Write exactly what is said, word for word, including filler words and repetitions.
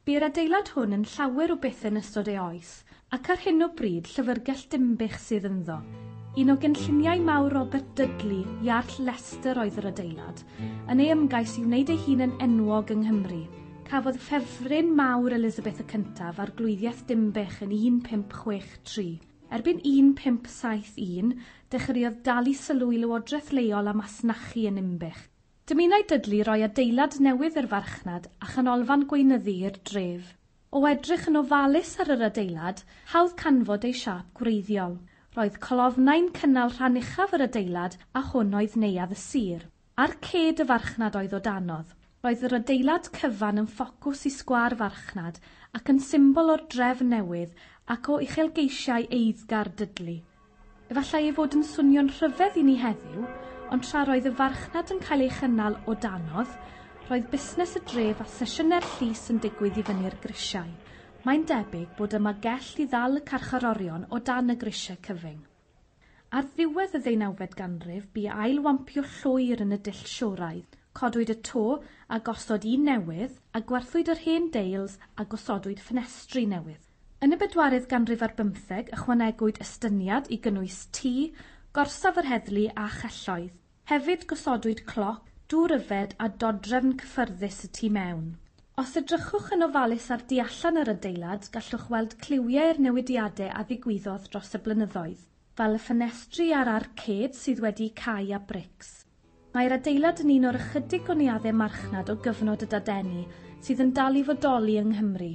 Bu'r adeilad hwn yn llawer o bethau yn ystod ei oes, ac ar hyn o bryd Llyfrgell Dinbych sydd ynddo. Un o gynlluniau mawr Robert Dudley, Iarll Leicester oedd yr adeilad, yn ei ymgais i wneud ei hun yn enwog yng Nghymru. Cafodd ffefryn mawr Elizabeth y Cyntaf arglwyddiaeth Dinbych yn un pump chwech tri. Erbyn un pump saith un, dechreuodd dalu sylw i lywodraeth leol a masnachu yn Ninbych. Dymunai Dudley roi adeilad newydd i'r farchnad a chanolfan gweinyddu i'r dref. O edrych yn ofalus ar yr adeilad, hawdd canfod ei siâp gwreiddiol. Roedd colofnau'n cynnal rhan uchaf yr adeilad a hwn oedd neuadd y sir. Arcêd y farchnad oedd o danodd. Roedd yr adeilad cyfan yn ffocws i sgwâr farchnad ac yn symbol o'r dref newydd ac o uchelgeisiau eiddgar Dudley. Efallai ei fod yn swnio'n rhyfedd i ni heddiw, ond tra roedd y farchnad yn cael ei chynnal o danodd, roedd busnes y dref a sesiynau'r llys yn digwydd i fyny'r grisiau. Mae'n debyg bod yma gell i ddal y carcharorion o dan y grisiau cyfyng. Ar ddiwedd y ddeunawfed ganrif, bu ailwampio llwyr yn y dull Sioraidd. Codwyd y to a gosod un newydd, a gwerthwyd yr hen deils a gosodwyd ffenestri newydd. Yn y bedwaredd ganrif ar bymtheg, ychwanegwyd estyniad i gynnwys tŷ, gorsaf yr heddlu a chelloedd. Hefyd gosodwyd cloc, dŵr yfed a dodrefn cyffyrddus y tu mewn. Os edrychwch yn ofalus ar du allan yr adeilad, gallwch weld cliwiau'r newidiadau a ddigwyddodd dros y blynyddoedd, fel y ffenestri a'r arcêd sydd wedi cau â brics. Mae'r adeilad yn un o'r ychydig o neuaddau marchnad o gyfnod y Dadeni sydd yn dal i fodoli yng Nghymru.